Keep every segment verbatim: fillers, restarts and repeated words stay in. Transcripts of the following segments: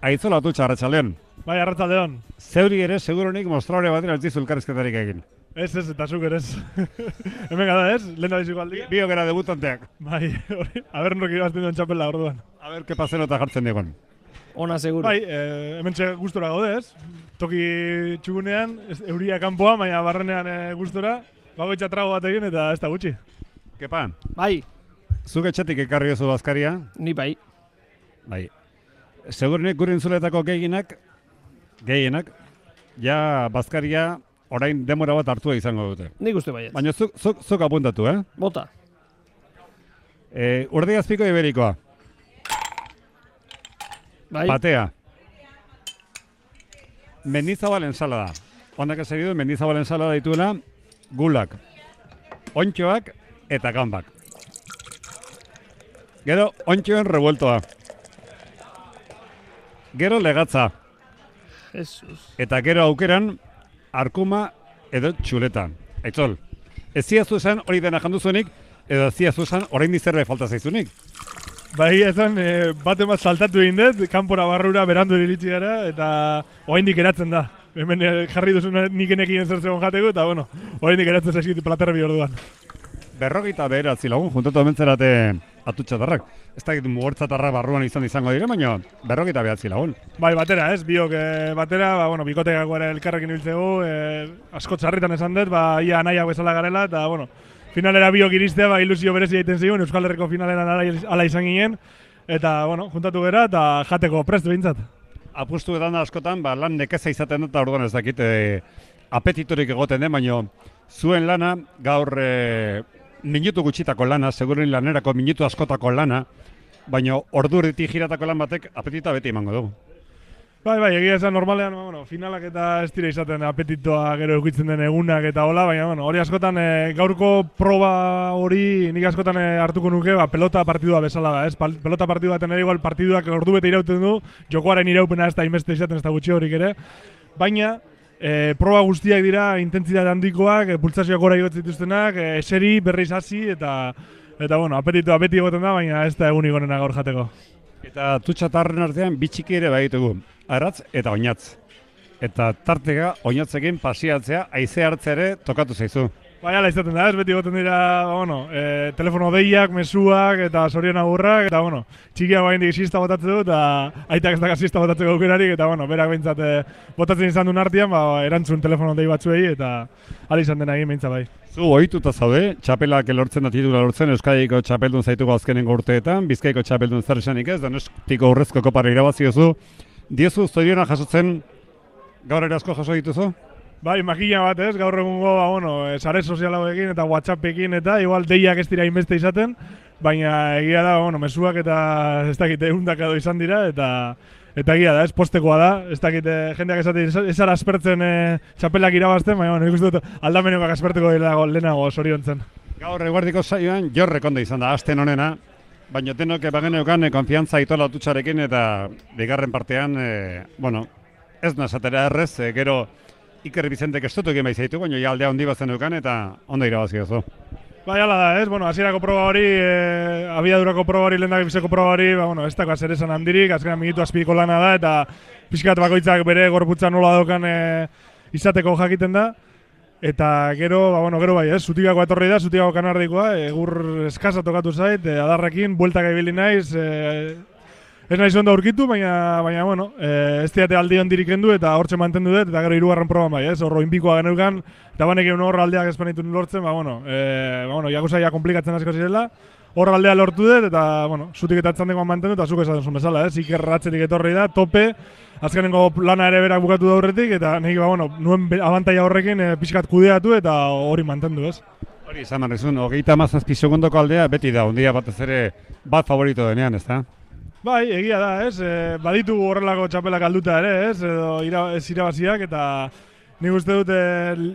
Aitzola Atutxa, arratsaldeon. Bai, arratsaldeon. Zeuri ere, seguronik mostraure batera ez dizu elkarrizketarik egin. Ez, ez, eta zuk ere ez. Hemen gara ez, lehen da biziko aldia. Bio gara debutanteak. Bai, hori, aber nork irabazten duen txapela orduan. A ber, kepa zenota jartzen digon. Ona seguro. Bai, eh, hemen txe gustora gaude ez. Toki txugunean, ez, euria kanpoa, baina barrenean eh, gustora. Bagoitza trago bat egin eta ez da gutxi. Kepa, Bai, zuk etxetik ekarri oso bazkaria. ni bai. Bai. Segurunik gure entzuletako gehienak, gehienak, ja bazkaria orain demora bat hartua izango dute. Nik uste baiet. Baina zuk, zuk, zuk apuntatu, eh? Bota. E, Urde azpiko iberikoa, Bai. patea. Mendizabal ensalada. Honak ez egidu, mendizabal ensalada dituela, gulak, ontxoak eta gambak. Gero, ontxoen revueltoa. Gero legatza. Jesus. Eta gero aukeran, arkuma edo txuleta. Aitzol, ez ziazu esan hori dena janduzunik, edo ez ziazu esan orain dizerbe falta zaizunik. Bai, ezan, e, bat emaz saltatu egin dut, kanpora barrura berandu iritsi gara, eta oraindik eratzen da. Hemen eh, jarri duzun nik enekin zer zegoen jateko, eta bueno, oraindik eratzen zaizkit platerbi orduan. Berrogeita beheratzi lagun, juntatu hementzerate atutxatarrak. Ez da mugortzatarrak barruan izan izango dire, baina berrogeita behatzi lagun. Bai, batera, ez, biok e, batera, ba, bueno, bikotekako ere elkarrekin ibiltzegu, e, asko txarritan esan dut, ba, ia nahiak bezala garela, eta, bueno, finalera biok iristea, ba, ilusio berezi egiten zigun, Euskal Herriko finalera ala izan ginen, eta, bueno, juntatu gera, eta jateko prest behintzat. Apustu edan da askotan, ba, lan nekeza izaten dut, eta orduan ez dakit, e, apetitorik egoten den, baina zuen lana, gaur e, minutu gutxitako lana, segurin lanerako minutu askotako lana, baina ordurritik jiratako lan batek apetita beti emango dugu. Bai, bai, egia esan normalean, ba, bueno, finalak eta ez dira izaten apetitoa gero eukitzen den egunak eta hola, baina bueno, hori askotan e, gaurko proba hori nik askotan e, hartuko nuke, ba, pelota partidua bezala da, ez? Pal, pelota partidua baten ere igual partiduak ordu bete irauten du, jokoaren iraupena ez da inbeste izaten ez da gutxi horik ere, baina e, proba guztiak dira intentsitate handikoak, e, pultsazioak gora igotzen dituztenak, e, eseri, berriz hasi eta eta bueno, apetitoa beti egoten da, baina ez da egunik onena gaur jateko. Eta tutxatarren artean bitxiki ere baitugu, aratz eta oinatz. Eta tarteka oinatzekin pasiatzea, haize hartzea ere tokatu zaizu. Bai, ala izaten da, ez beti egoten dira, bueno, e, telefono deiak, mezuak eta sorion agurrak, eta bueno, txikiak bain dik siesta botatzen du, eta aitak ez daka siesta botatzeko aukerarik, eta bueno, berak behintzat e, botatzen izan duen artean, ba, erantzun telefono dei batzuei, eta ala izan dena egin behintzat bai. Zu ohituta zaude, txapelak lortzen da titula lortzen, Euskadiko txapeldun zaituko azkenengo urteetan, Bizkaiko txapeldun zer esanik ez, Donostiko urrezko kopara irabaziozu. Diezu zoriona jasotzen gaur ere asko jaso dituzu? Bai, makina bat ez, gaur egungo, ba, bueno, sare sozialagoekin eta WhatsAppekin eta igual deiak ez dira inbeste izaten, baina egia da, bueno, mezuak eta ez dakit ehundak edo izan dira, eta eta egia da, ez postekoa da, ez dakit jendeak esaten ez ara aspertzen e, txapelak irabazten, baina bueno, nik uste dut aldamenekoak asperteko lehenago, lehenago soriontzen. Gaur eguerdiko saioan jorrek ondo izan da, asten honena, baina tenok bageneukan e, konfiantza itola atutxarekin eta bigarren partean, e, bueno, ez nazatera errez, e, gero Iker Bizentek estutu egin baizaitu, baina ja aldea hondi bazen eukan eta ondo irabazi oso. Bai, ala da, ez? Bueno, hasierako proba hori, e, abiadurako proba hori, lehendak bizeko proba hori, ba, bueno, ez dago zer esan handirik, azkenan minutu azpiko lana da, eta pixkat bakoitzak bere gorputza nola daukan e, izateko jakiten da. Eta gero, ba, bueno, gero bai, ez? Zutigako etorri da, Zutigako kanardikoa, egur eskasa tokatu zait, e, adarrekin, bueltak ibili naiz, e, ez naiz ondo aurkitu, baina, baina bueno, e, ez diate aldi hondirik kendu eta hortxe mantendu dut, eta gero hirugarren proban bai, ez? Horro inbikoa geneukan, eta banekin horro aldeak espanitu lortzen, ba, bueno, e, ba, bueno, jakuzaia komplikatzen asko zirela, horro aldea lortu dut, eta, bueno, zutik eta atzandekoan mantendu, eta zuk esaten zuen bezala, ez? Iker ratzetik etorri da, tope, azkenengo lana ere berak bukatu da aurretik, eta nik, ba, bueno, nuen abantaia horrekin e, pixkat kudeatu eta hori mantendu, ez? Hori izan marrizun, hogeita mazazpi segundoko aldea beti da, ondia batez ere bat favorito denean, ez da? Bai, egia da, ez? E, baditu horrelako txapelak alduta ere, ez? Edo ira, ez irabaziak, eta nik uste dut e,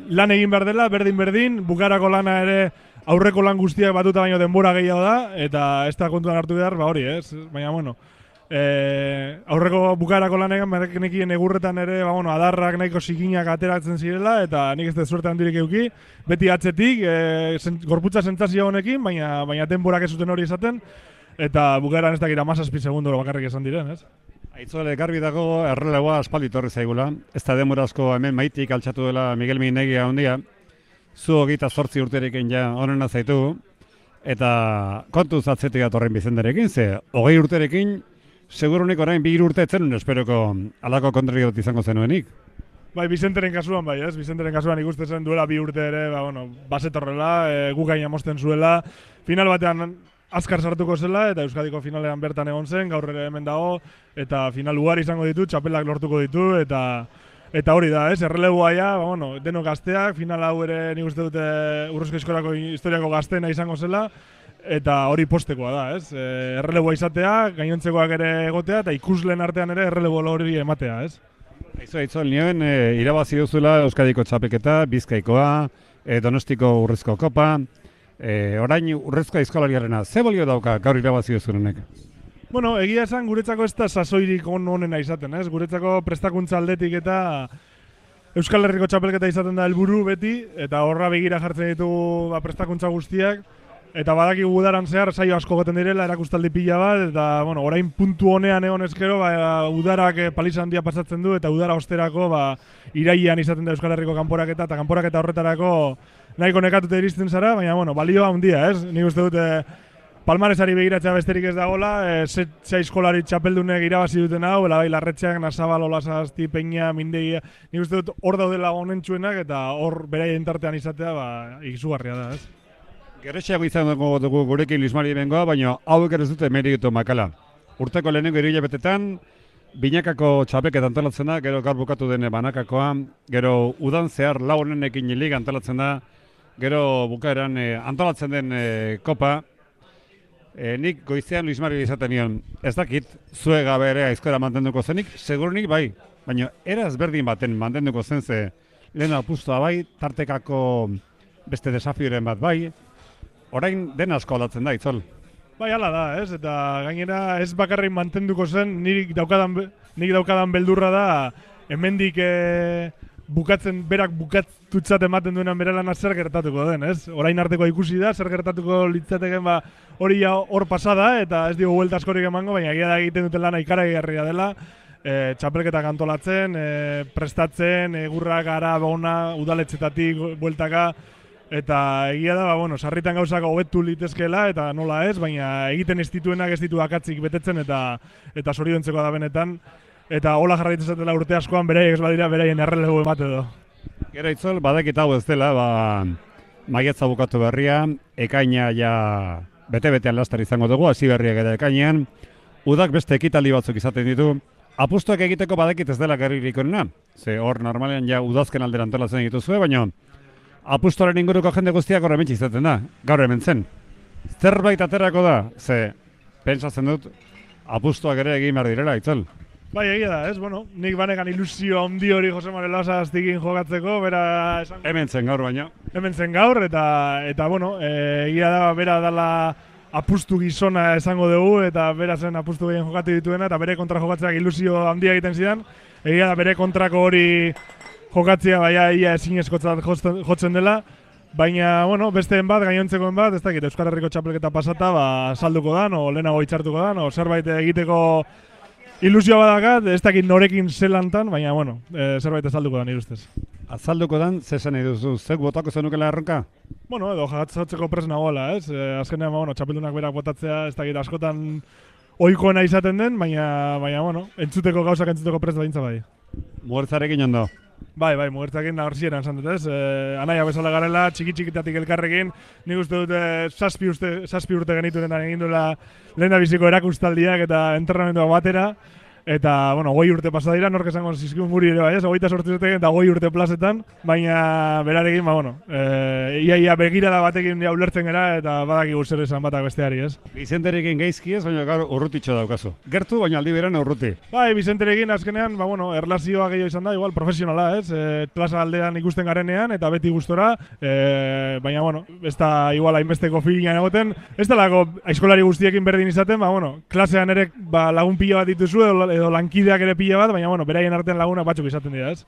lan egin behar dela, berdin-berdin, bukarako lana ere aurreko lan guztiak batuta baino denbora gehiago da, eta ez da kontuan hartu behar, ba hori, ez? Baina, bueno, e, aurreko bukarako lanean, nekien egurretan ere, ba, bueno, adarrak nahiko zikinak ateratzen zirela, eta nik ez dut suerte handirik euki, beti atzetik, e, zen, gorputza sentsazio honekin, baina, baina denborak ez zuten hori esaten, eta bukaeran ez dakit hamazazpi segundoro bakarrik esan diren, ez? Aitzole garbi dago erreleboa aspaldi torri zaigula. Ez da demorazko hemen maitik altxatu dela Miguel Minegia handia. Zu hogeita zortzi urterekin ja onena zaitu. Eta kontuz atzetik atorren Bizenterekin, ze hogei urterekin segurunik orain bi hiru urte etzen esperoko alako kontrario bat izango zenuenik. Bai, Bizenteren kasuan bai, ez? Bizenteren kasuan ikusten zen duela bi urte ere, ba, bueno, basetorrela, e, gu gaina mosten zuela. Final batean azkar sartuko zela, eta Euskadiko finalean bertan egon zen, gaur ere hemen dago, eta final ugari izango ditu, txapelak lortuko ditu, eta eta hori da, ez? Erreleboa ja, ba, bueno, denok gazteak, final hau ere nik uste dute Urrezko Eskolako historiako gazteena izango zela, eta hori postekoa da, ez? E, erreleboa izatea, gainontzekoak ere egotea, eta ikusleen artean ere erreleboa hori ematea, ez? Aizu, aizu, nioen e, irabazi duzula Euskadiko txapelketa, Bizkaikoa, e, Donostiko Urrezko Kopa, e, orain Urrezko Eskolariarena, ze bolio dauka gaur irabazi duzurenek? Bueno, egia esan guretzako ez da sasoirik on onena izaten, ez? Guretzako prestakuntza aldetik eta Euskal Herriko txapelketa izaten da helburu beti, eta horra begira jartzen ditugu ba, prestakuntza guztiak, eta badakigu udaran zehar saio asko goten direla, erakustaldi pila bat, eta bueno, orain puntu honean egon ezkero, ba, udarak paliza handia pasatzen du, eta udara osterako ba, irailean izaten da Euskal Herriko kanporaketa, eta kanporaketa horretarako nahiko nekatuta iristen zara, baina bueno, balioa handia, ez? Nik uste dute Palmaresari begiratzea besterik ez dagoela, e, zea eskolari txapeldunek irabazi duten hau, bai Larretxeak, Nasabal, Olasasti, Peña, Mindegia, nik uste dut hor daudela honentsuenak eta hor beraien tartean izatea ba, izugarria da, ez? Gerretxeago izango dugu gurekin Luis Mari bengoa, baina hauek ere ez dute meritu makala. Urteko lehenengo hilabetetan, binakako txapelketa antolatzen da, gero gaur bukatu dene banakakoa, gero udan zehar lau honenekin liga antolatzen da, gero bukaeran e, antolatzen den e, kopa. E, nik goizean Luis Mari izaten nion, ez dakit, zue gabe ere aizkora mantenduko zenik, segurunik bai, baina eraz berdin baten mantenduko zen ze lehen apustua bai, tartekako beste desafioren bat bai, orain den asko aldatzen da, Itzol. Bai, hala da, ez? Eta gainera ez bakarrik mantenduko zen, nik daukadan, nik daukadan beldurra da, hemendik e, bukatzen, berak bukatutzat ematen duenan bere lana zer gertatuko den, ez? Orain arteko ikusi da, zer gertatuko litzateken ba, hori ja hor pasada, eta ez digo buelta askorik emango, baina egia da egiten duten lana ikaragarria dela, e, txapelketak antolatzen, e, prestatzen, egurrak ara bona, udaletxetatik bueltaka, eta egia da, ba, bueno, sarritan gauzak hobetu litezkeela, eta nola ez, baina egiten ez dituenak ez ditu akatzik betetzen, eta eta zoriontzeko da benetan, eta hola jarraitzen zatela urte askoan beraiek ez badira beraien errelego emate edo. Gero Itzol, badakit hau ez dela, ba, maiatza bukatu berria, ekaina ja bete-betean lastar izango dugu, hasi berriak eta ekainean, udak beste ekitaldi batzuk izaten ditu, apustuak egiteko badakit ez dela gerririk onena, ze hor normalean ja udazken aldera antolatzen dituzue, baina apustuaren inguruko jende guztiak horre mentxe izaten da, gaur hemen zen. Zerbait aterako da, ze, pentsatzen dut, apustuak ere egin behar direla, Itzol. Bai, egia da, ez? Bueno, nik banekan ilusio handi hori Jose Mari Lasaztikin jokatzeko, bera esan... Hemen zen gaur baina. Hemen zen gaur, eta, eta bueno, e, egia da, bera dala apustu gizona esango dugu, eta bera zen apustu gehien jokatu dituena, eta bere kontra jokatzeak ilusio handia egiten zidan. Egia da, bere kontrako hori jokatzea, baina ia ezinezkotzat jotzen dela. Baina, bueno, besteen bat, gainontzekoen bat, ez dakit, Euskal Herriko txapelketa pasata, ba, salduko dan, o lehenago itxartuko dan, o zerbait egiteko ilusio badakat, ez dakit norekin zelantan, baina, bueno, e, zerbait azalduko da nire ustez. Azalduko dan, zesan nahi duzu, zek botako zenukela erronka? Bueno, edo jagatzeko pres nagoela, ez? E, azkenean, bueno, txapeldunak berak botatzea, ez dakit askotan ohikoena izaten den, baina, baina, bueno, entzuteko gauzak entzuteko pres badintza bai. Mugertzarekin ondo? Bai, bai, mugertzarekin nagorzieran esan dut, ez? E, anaia bezala garela, txiki-txikitatik elkarrekin, nik uste dute zazpi urte, zazpi urte genituenetan egin duela lehen da biziko erakustaldiak eta entrenamenduak batera, eta, bueno, goi urte pasa dira, nork esango zizkiun guri ere bai, ez? Goita sortzetek eta goi urte plazetan, baina berarekin, ba, bueno, e, ia, ia begirada batekin ja ulertzen gara, eta badakigu zer esan batak besteari, ez? Bizenterekin gaizki ez, baina gaur urrutitxo daukazu. Gertu, baina aldi beran urruti. Bai, Bizenterekin azkenean, ba, bueno, erlazioa gehiago izan da, igual, profesionala, ez? E, plaza aldean ikusten garenean, eta beti gustora, e, baina, bueno, ez da igual hainbesteko filian egoten, ez da lako aizkolari guztiekin berdin izaten, ba, bueno, klasean ere ba, lagun pila bat dituzu, edo, edo lankideak ere pila bat, baina, bueno, beraien artean lagunak batzuk izaten dira, ez?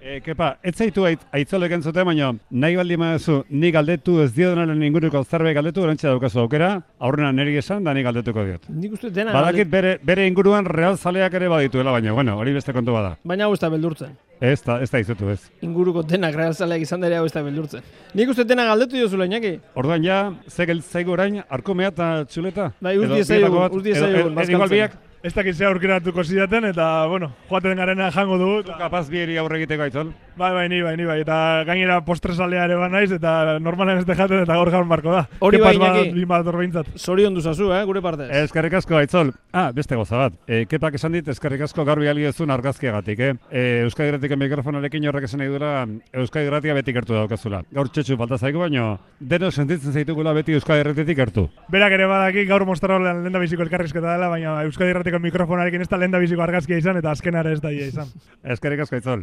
E, kepa, ez zaitu ait, aitzolek entzute, baina nahi baldi mazu, ni galdetu ez diodonaren inguruko zerbait galdetu, orantxe daukazu aukera, aurrena niri esan, da ni galdetuko diot. Nik uste dena Badakit bere, bere inguruan real zaleak ere badituela, baina, bueno, hori beste kontu bada. Baina hau ez da beldurtzen. Ez da, ez da izutu, ez. Inguruko denak realzaleak izan dere hau ez da beldurtzen. Nik uste dena galdetu diozula, Iñaki. Orduan ja, ze geltzaigu orain, arkumea eta txuleta? Bai, uz Edo diezaiogun, bietako bat? uz diezaiogun, Edo- edo- bazkaltzen. igual biak? Ez dakit ze aurkeratuko zidaten, eta, bueno, joaten garena jango dugu. eta- Kapaz bieri aurre egiteko aitzol. Bai, bai, ni bai, ni bai. Eta gainera postresalea ere ba naiz, eta normalen ez jaten eta gaur gaur marko da. Hori bai, Kepaz bat, Iñaki. bi bat behintzat. Zorion duzazu, eh, gure partez. Eskerrik asko aitzol. Ah, beste goza bat. E, kepak esan dit, eskerrik asko garbi algezun argazkiagatik, eh? E, Euskadi Irratiko mikrofonarekin horrek esan nahi dura, Euskadi Irratia beti gertu daukazula. Gaur txetxu falta zaigu, baino, deno sentitzen zaitugula beti Euskadi Irratitik gertu. Berak ere badaki gaur Mostarolean lenda biziko elkarrizketa dela, baina Euskadi Irratiko mikrofonarekin ez da lenda biziko argazkia izan, eta azkenare ez da ia izan. Eskerrik asko aitzol.